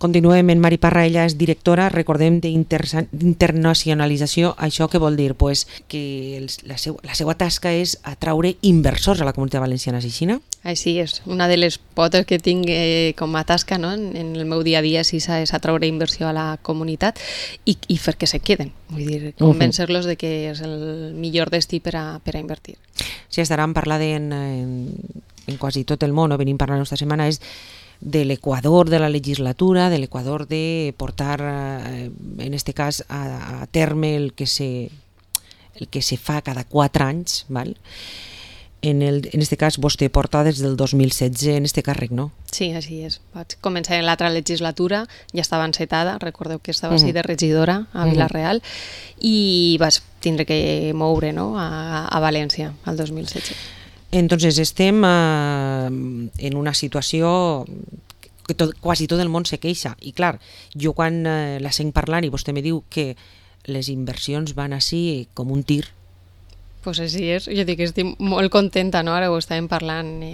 Continuem en Mari Parra, ella és directora, recordem, d'internacionalització. Això què vol dir? Pues que la seva tasca és atraure inversors a la Comunitat Valenciana, així, no? Així és, una de les potes que tinc com a tasca, no? En el meu dia a dia és atraure inversió a la comunitat i fer que se queden, vull dir, convèncer-los de que és el millor destí per a invertir. Sí, estaran parlant en quasi tot el món, venim parlant aquesta setmana, és de l'Equador de la legislatura, de l'Equador de portar, en este cas, a terme el que se fa cada 4 anys, val? En este cas, vostè porta des del 2016 en este càrrec, no? Sí, així és. Vaig començar en l'altra legislatura, ja estava encetada, recordeu que estava així de regidora a Vila-real, i vaig tindre que moure, no? a València, al 2016. Entonces estem en una situació que quasi tot el món se queixa i clar, jo quan la sent parlant i vostè me diu que les inversions van així com un tir. Pues així és, jo dic que estic molt contenta, no? Ara ho estàvem parlant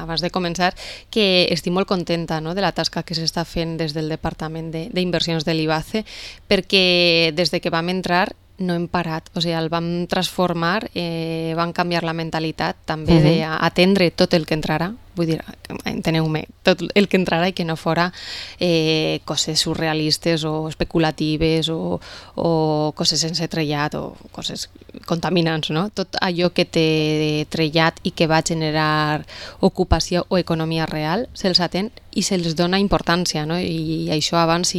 abans de començar, que estic molt contenta, no? De la tasca que s'està fent des del Departament d'Inversions de l'IBACE, perquè des de que vam entrar no hem parat, o sigui, el vam transformar, vam canviar la mentalitat també d'atendre tot el que entrarà, vull dir, enteneu-me, tot el que entrarà i que no fora coses surrealistes o especulatives o coses sense trellat o coses contaminants, no? Tot allò que té trellat i que va generar ocupació o economia real se'ls atén i se'ls dona importància, no? I això abans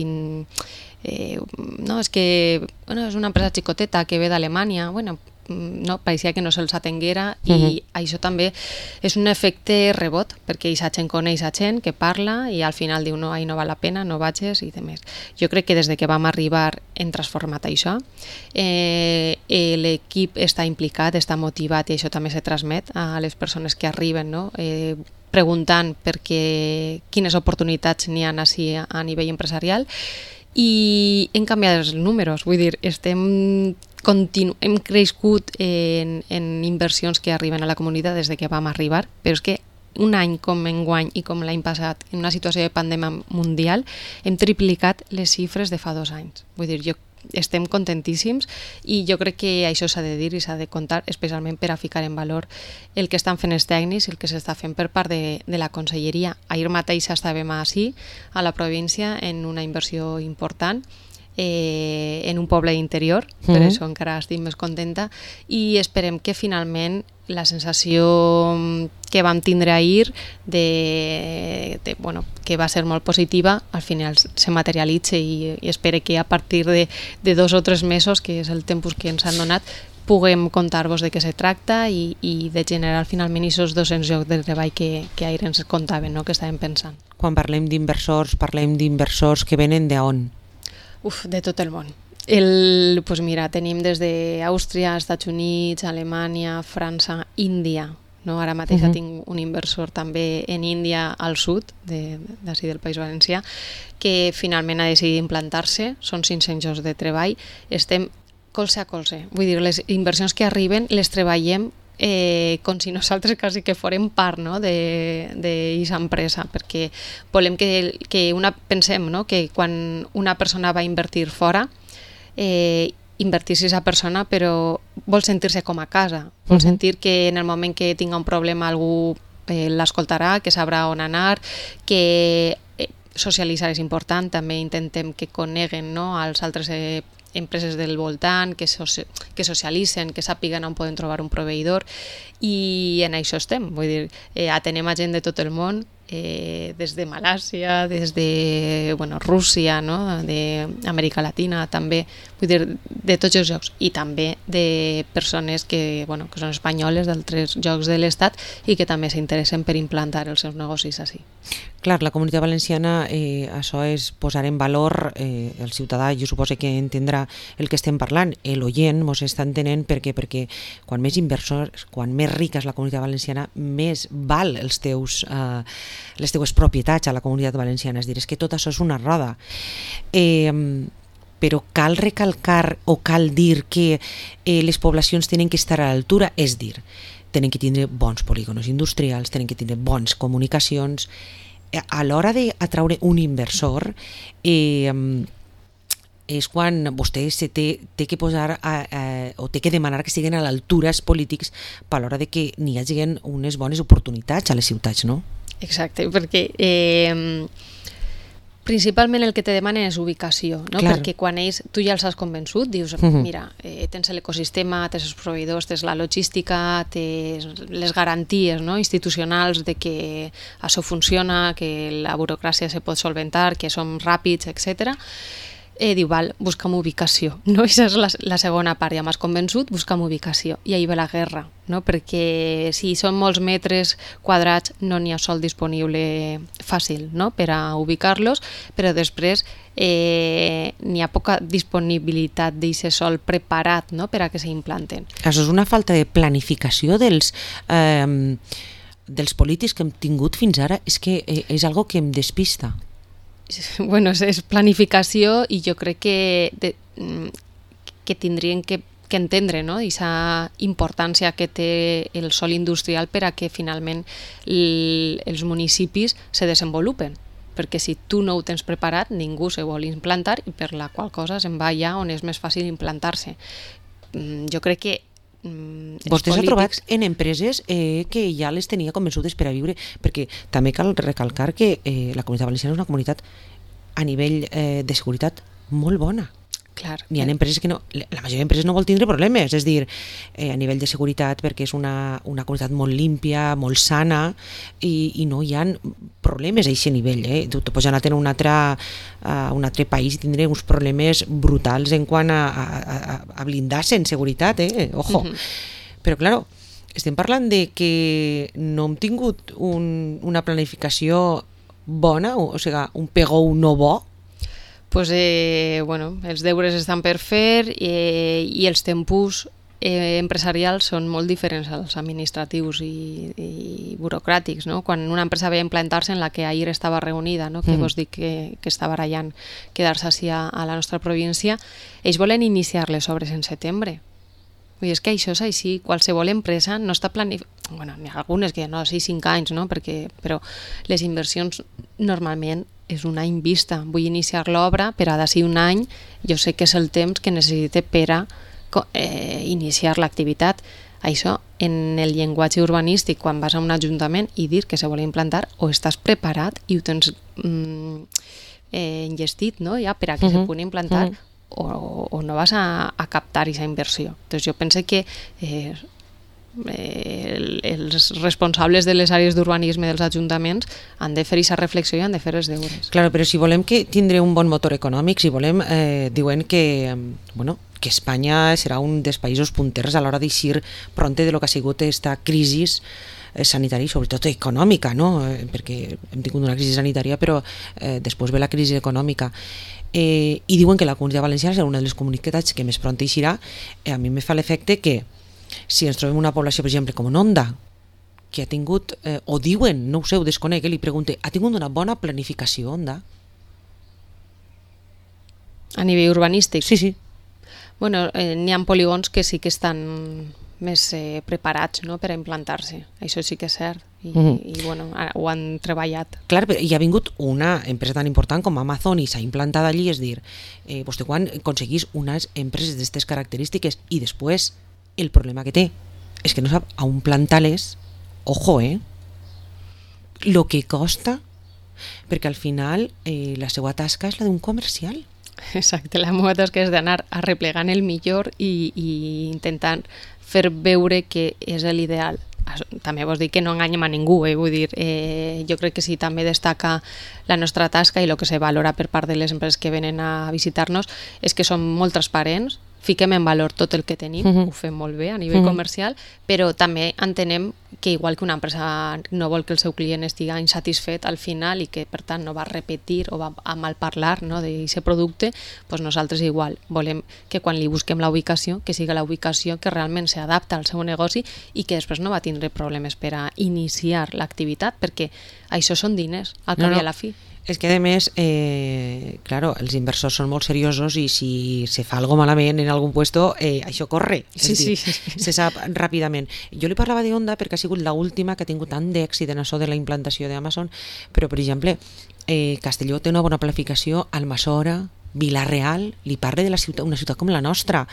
no, és que és una empresa xicoteta que ve d'Alemanya, no, pareixia que no se'ls atenguera i això també és un efecte rebot, perquè aquesta gent coneix a gent que parla i al final diu no, no val la pena, no vagis i demés. Jo crec que des de que vam arribar hem transformat això, l'equip està implicat, està motivat i això també se transmet a les persones que arriben, no? Preguntant per quines oportunitats n'hi ha així a nivell empresarial i hem canviat els números, vull dir, hem crescut en inversions que arriben a la comunitat des de que vam arribar, però és que un any com enguany i com l'any passat, en una situació de pandèmia mundial, hem triplicat les xifres de fa 2 anys. Vull dir, estem contentíssims i jo crec que això s'ha de dir i s'ha de contar, especialment per a ficar en valor el que estan fent els tècnics i el que s'està fent per part de la conselleria. Ahir mateix estàvem així, a la província, en una inversió important, en un poble interior, per això encara estic més contenta i esperem que finalment la sensació que vam tindre ahir que va ser molt positiva, al final se materialitza i espero que a partir de 2 o 3 mesos, que és el temps que ens han donat, puguem contar-vos de què se tracta i de generar finalment aquests 200 llocs de treball que ahir ens contaven, no? Que estàvem pensant. Quan parlem d'inversors que venen d'on? De tot el món. Pues mira, tenim des d'Àustria, Estats Units, Alemanya, França, Índia. No? Ara mateix tinc un inversor també en Índia al sud, d'ací del País Valencià, que finalment ha decidit implantar-se, són 500 llocs de treball, estem colze a colze. Vull dir, les inversions que arriben les treballem com si nosaltres quasi que fórem part, no? d'aquesta empresa, perquè volem pensem, no? Que quan una persona va invertir fora, invertir-se aquesta persona, però vol sentir-se com a casa, vol sentir que en el moment que tinga un problema algú l'escoltarà, que sabrà on anar, que socialitzar és important, també intentem que coneguen, no? als altres empreses del voltant, que socialitzen, que sàpiguen on poden trobar un proveïdor i en això estem, vull dir, atenem a gent de tot el món, des de Malàisia, des de Rússia, no? d'Amèrica Latina també, vull dir, de tots els llocs i també de persones que són espanyoles d'altres llocs de l'Estat i que també s'interessen per implantar els seus negocis així. Clar, la Comunitat Valenciana, això és posar en valor el ciutadà, jo suposo que entendrà el que estem parlant, l'oient mos està entenent perquè quan més inversors, quan més rica és la Comunitat Valenciana, més val les teues propietats a la Comunitat Valenciana, és dir, és que tot això és una roda. Però cal recalcar o cal dir que les poblacions tenen que estar a l'altura, és dir, tenen que tindre bons polígons industrials, tenen que tindre bones comunicacions, a l'hora d'atraure un inversor, és quan vostè té que posar o té que demanar que siguin a l'altura els polítics per l'hora de que n'hi hagi unes bones oportunitats a les ciutats, no? Exacte, perquè principalment el que te demanen és ubicació, no? Perquè quan tu ja els has convençut, dius, mira, tens l'ecosistema, tens els proveïdors, tens la logística, tens les garanties, no? Institucionals de que això funciona, que la burocràcia se pot solventar, que som ràpids, etc. Diu, val, busca'm ubicació, no? Això és la segona part, ja m'has convençut, busca'm ubicació. I ahí ve la guerra, no? Perquè si són molts metres quadrats no n'hi ha sol disponible fàcil, no? Per a ubicar-los, però després n'hi ha poca disponibilitat d'aquest sol preparat, no? Per a que s'implanten. Això és una falta de planificació dels polítics que hem tingut fins ara, és que és algo que em despista. Bueno, és planificació i jo crec que tindrien que entendre, no? Aquesta importància que té el sòl industrial per a que finalment els municipis se desenvolupen, perquè si tu no ho tens preparat ningú se vol implantar i per la qual cosa se'n va allà on és més fàcil implantar-se. Jo crec que vostès han trobat en empreses que ja les tenia convençudes per a viure, perquè també cal recalcar que la Comunitat Valenciana és una comunitat a nivell de seguretat molt bona. Clar. N'hi ha empreses que no, la majoria d'empreses no vol tindre problemes, és dir, a nivell de seguretat, perquè és una comunitat molt límpia, molt sana, i no hi ha problemes a aquest nivell. Tu pots anar a un altre país i tindre uns problemes brutals en quant a blindar-se en seguretat, ojo. Però, clar, estem parlant de que no hem tingut una planificació bona, o sigui, un pegou no bo. Pues, bueno, els deures estan per fer i els tempos empresarials són molt diferents als administratius i burocràtics, no? Quan una empresa ve a implantar-se en la que ahir estava reunida, no? Que vos dic que està barallant quedar-se així a la nostra província, ells volen iniciar les obres en setembre. Vull dir, és que això és així, qualsevol empresa no està planificada. Bueno, n'hi ha algunes que no, 5 anys, no? Però les inversions normalment és un any vista. Vull iniciar l'obra, però d'ací un any jo sé que és el temps que necessite per a iniciar l'activitat. Això, en el llenguatge urbanístic, quan vas a un ajuntament i dir que se vol implantar, o estàs preparat i ho tens enllestit, no? Ja per a que se pugui implantar, o no vas a captar aquesta inversió. Entonces, jo penso que els responsables de les àrees d'urbanisme dels ajuntaments han de fer aquesta reflexió i han de fer els deures. Claro, però si volem que tindre un bon motor econòmic, si volem, diuen que, bueno, que Espanya serà un dels països punters a l'hora d'eixir pronte de lo que ha sigut aquesta crisi sanitària i sobretot econòmica, no? Perquè hem tingut una crisi sanitària, però després ve la crisi econòmica. I diuen que la Comunitat Valenciana serà una de les comunitats que més pront eixirà. A mi me fa l'efecte que si ens trobem una població, per exemple, com en Onda, que ha tingut, o diuen, no ho sé, ho desconec, li pregunte, ha tingut una bona planificació, Onda? A nivell urbanístic? Sí. Bueno, n'hi ha polígons que sí que estan més preparats, no?, per a implantar-se. Això sí que és cert. I bueno, ho han treballat. Clar, però hi ha vingut una empresa tan important com Amazon i s'ha implantat allí, és dir, vostè quan aconseguís unes empreses d'aquestes característiques i després el problema que té és que no sap a on plantar-les, ojo, lo que costa, perquè al final la seva tasca és la d'un comercial. Exacte, la meva tasca és d'anar arreplegant el millor i intentant fer veure que és l'ideal. També vols dir que no enganyem a ningú, vull dir, jo crec que sí, també destaca la nostra tasca i el que se valora per part de les empreses que venen a visitar-nos és que som molt transparents, fiquem en valor tot el que tenim, ho fem molt bé a nivell comercial, però també entenem que igual que una empresa no vol que el seu client estigui insatisfet al final i que per tant no va repetir o va a malparlar, no, d'aquest producte, doncs nosaltres igual volem que quan li busquem la ubicació, que sigui la ubicació que realment s'adapta al seu negoci i que després no va tindre problemes per a iniciar l'activitat, perquè això són diners, al cap i a la fi. És que, a més, claro, els inversors són molt seriosos i si se fa algo malament en algun puesto, això corre. Sí, dir, sí. se sap ràpidament. Jo li parlava d'Onda perquè ha sigut l'última que ha tingut tant d'èxit en això de la implantació d'Amazon, però, per exemple, Castelló té una bona planificació, Almassora, Vila-real, li parla de la ciutat, una ciutat com la nostra,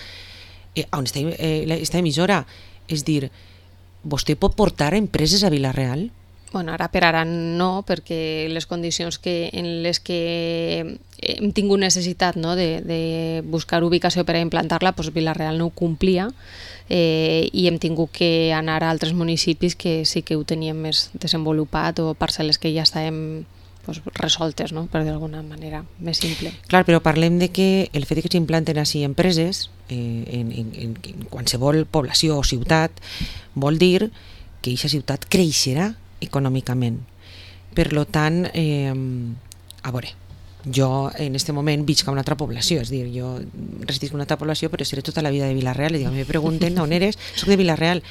on està esta emissora. És dir, vostè pot portar empreses a Vila-real? Bueno, ara per ara no, perquè les condicions en les que hem tingut necessitat, no, de buscar ubicació per a implantar-la, doncs Vila-real no ho complia, i hem tingut que anar a altres municipis que sí que ho teníem més desenvolupat o parcel·les que ja estàvem resoltes, no? Per d'alguna manera més simple. Clar, però parlem de que el fet que s'implanten així empreses en qualsevol població o ciutat vol dir que aquesta ciutat creixerà econòmicament. Per tant, a veure, jo en este moment visc a una altra població, és dir, jo residisc en una altra població però seré tota la vida de Vila-real i me pregunten on eres, soc de Vila-real.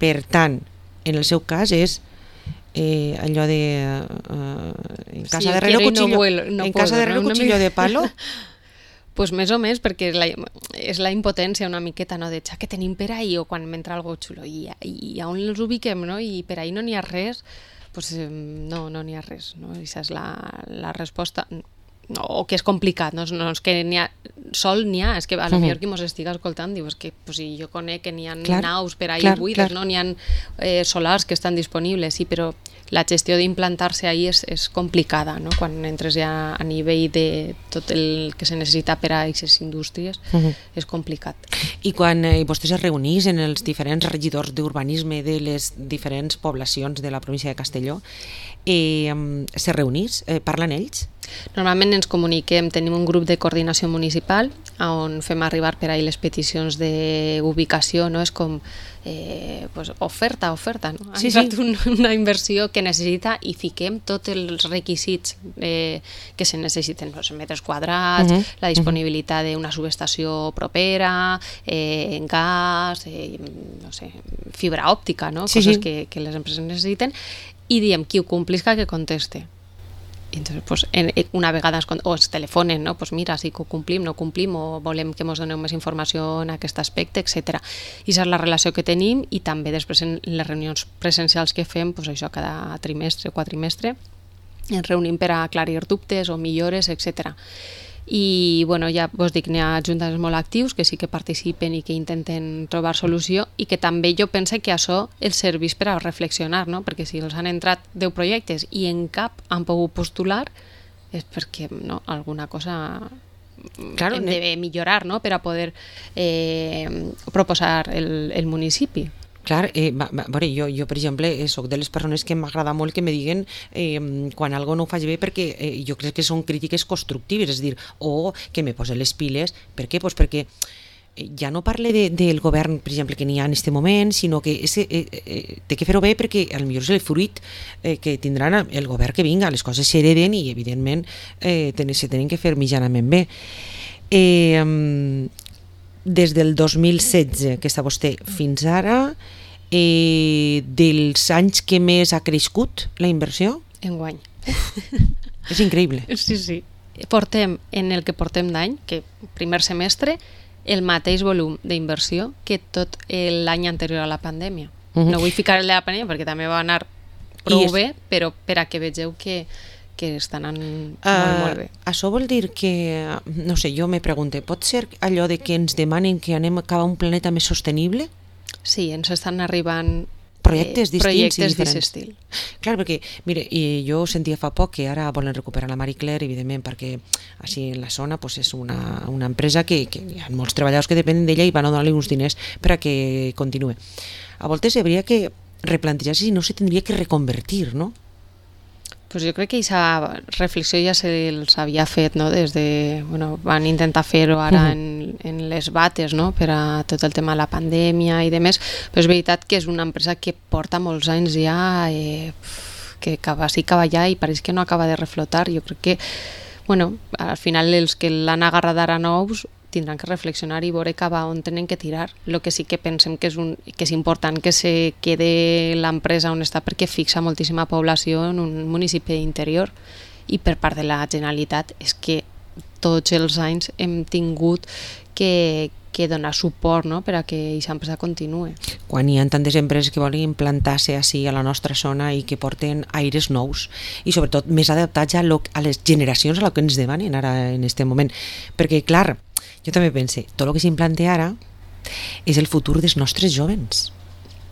Per tant, en el seu cas és allò de en casa de herrero cuchillo de palo. Pues més o més, perquè és la impotència una miqueta, no? De que tenim per ahí o quan m'entra algo xulo i on els ubiquem, no? I per ahí no n'hi ha res, pues no n'hi ha res, no? Aquesta és la resposta. No, o que és complicat, no és que n'hi ha, sol n'hi ha, és que a lo millor qui mos estiga escoltant diu, és que pues, si jo conec que n'hi ha naus per ahí buides, no? N'hi ha solars que estan disponibles, sí, però la gestió d'implantar-se ahí és complicada, no? Quan entres ja a nivell de tot el que se necessita per a aquestes indústries, és complicat. I quan vostès es reunís en els diferents regidors d'urbanisme de les diferents poblacions de la província de Castelló, se reunís? Parlen ells? Normalment ens comuniquem, tenim un grup de coordinació municipal on fem arribar per ahí les peticions d'ubicació, no? És com oferta, no? Ha entrat una inversió que necessita i fiquem tots els requisits que se necessiten, els metres quadrats, la disponibilitat d'una subestació propera, gas, no sé, fibra òptica, no? Coses que les empreses necessiten, i diem qui ho complisca que conteste. I entonces, pues, una vegada es telefonen, no? Pues mira, sí que ho complim, no complim, o volem que ens doneu més informació en aquest aspecte, etc. I aquesta és la relació que tenim, i també després en les reunions presencials que fem, pues això cada trimestre o quadrimestre, ens reunim per a aclarir dubtes o millores, etc. I bueno, ja vos dic, n'hi ha ajuntaments molt actius que sí que participen i que intenten trobar solució, i que també jo pense que això els serveix per a reflexionar, no? Perquè si els han entrat 10 projectes i en cap han pogut postular, és perquè no, alguna cosa hem de millorar, no? Per a poder proposar el municipi. Clar, jo per exemple soc de les persones que m'agrada molt que me diguen quan algo no ho faig bé, perquè jo crec que són crítiques constructives, és dir, o que me posen les piles. Per què? Pues perquè ja no parle del govern, per exemple, que n'hi ha en aquest moment, sinó que té que fer-ho bé, perquè potser és el fruit que tindran el govern que vinga, les coses s'hereden i evidentment se tenen que fer mitjanament bé. Des del 2016 que està vostè fins ara, dels anys que més ha crescut la inversió? Enguany. És increïble. Sí. Portem, en el que portem d'any, que primer semestre, el mateix volum d'inversió que tot l'any anterior a la pandèmia. No vull ficar el de la pandèmia perquè també va anar prou bé, però per a que vegeu que estan anant molt bé. Això vol dir que, no sé, jo me pregunto, pot ser allò de que ens demanen que anem cap a un planeta més sostenible? Sí, ens estan arribant projectes distints i diferents. Estil. Clar, perquè, mire, jo sentia fa poc que ara volen recuperar la Marie Claire, evidentment, perquè així en la zona pues, és una empresa que hi ha molts treballadors que depenen d'ella i van a donar-li uns diners per a que continuï. A voltes hauria que replantejar-se si no se tindria que reconvertir, no? Pues jo crec que aquesta reflexió ja se'ls havia fet, no? Des de, van intentar fer-ho ara en les bates, no? Per a tot el tema de la pandèmia i demés, però és veritat que és una empresa que porta molts anys ja, que sí que va allà i pareix que no acaba de reflotar. Jo crec que, al final els que l'han agarrat ara nous tindran que reflexionar i veure cap a on tenen que tirar. El que sí que pensem que és important que se quede l'empresa on està, perquè fixa moltíssima població en un municipi interior i per part de la Generalitat és que tots els anys hem tingut que donar suport, no?, per a que aquesta empresa continuï. Quan hi ha tantes empreses que volen implantar-se així a la nostra zona i que porten aires nous i sobretot més adaptats a les generacions a lo que ens demanen ara en aquest moment. Perquè, clar, jo també pense, tot el que s'implante ara és el futur dels nostres jovens.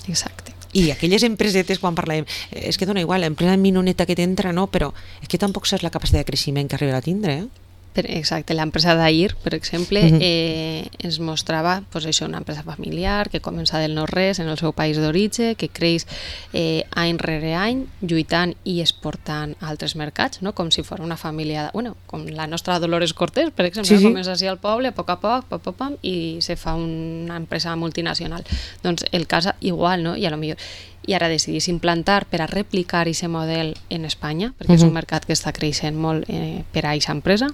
Exacte. I aquelles empresetes, quan parlem, és que dona igual, l'empresa minoneta que t'entra, no, però és que tampoc saps la capacitat de creixement que arribarà a tindre, Exacte, l'empresa d'Air, per exemple, ens mostrava pues, això, una empresa familiar que comença del no-res en el seu país d'origen, que creix any rere any, lluitant i exportant a altres mercats, no? Com si fos una família, com la nostra Dolores Cortés, per exemple, sí. Comença així al poble, a poc, pam, i se fa una empresa multinacional. Doncs el cas igual, no? I a lo millor i ara decidís implantar per a replicar aquest model en Espanya, perquè és un mercat que està creixent molt per a aquesta empresa,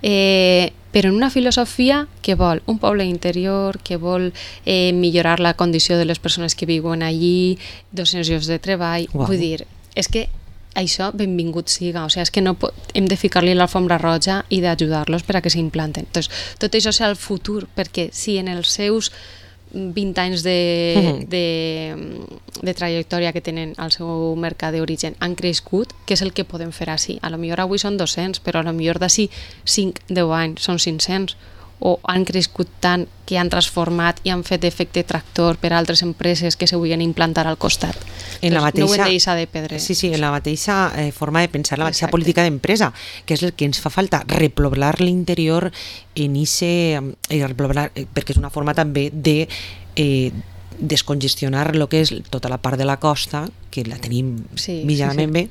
però en una filosofia que vol un poble interior, que vol millorar la condició de les persones que viuen allí, 200 llocs de treball. Wow. Vull dir, és que això benvingut siga, o sigui, és que no hem de ficar-li l'alfombra roja i d'ajudar-los per a que s'implanten. Entonces, tot això serà el futur, perquè si en els seus 20 anys de trajectòria que tenen al seu mercat d'origen han crescut, què és el que podem fer així? A lo millor avui són 200, però a lo millor d'ací 5-10 anys són 500, o han crescut tant que han transformat i han fet efecte tractor per a altres empreses que se vulguin implantar al costat. En la mateixa, no ho hem de deixar de perdre. Sí, en la mateixa forma de pensar, la mateixa política d'empresa, que és el que ens fa falta, repoblar l'interior en perquè és una forma també de descongestionar el que és tota la part de la costa, que la tenim mitjanament bé.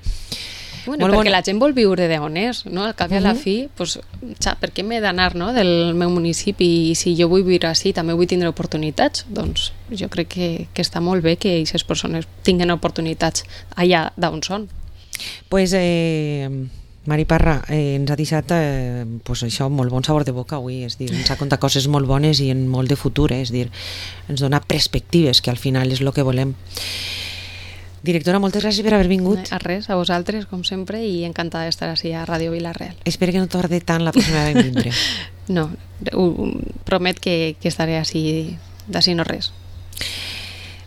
Perquè la gent vol viure d'on és, no? Al cap i a la fi, pues, per què m'he d'anar, no?, del meu municipi, i si jo vull viure així també vull tindre oportunitats? Doncs jo crec que està molt bé que aquestes persones tinguin oportunitats allà d'on són. Pues, Mari Parra, ens ha deixat pues això, molt bon sabor de boca avui, és dir, ens ha contat coses molt bones i en molt de futur, és dir, ens dona perspectives, que al final és el que volem. Directora, moltes gràcies per haver vingut. A res, a vosaltres, com sempre, i encantada d'estar així a Ràdio Vila-real. Espero que no tardi tant la pròxima vegada en vindre. No, promet que estaré així d'ací no res.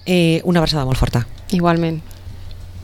Una abraçada molt forta. Igualment.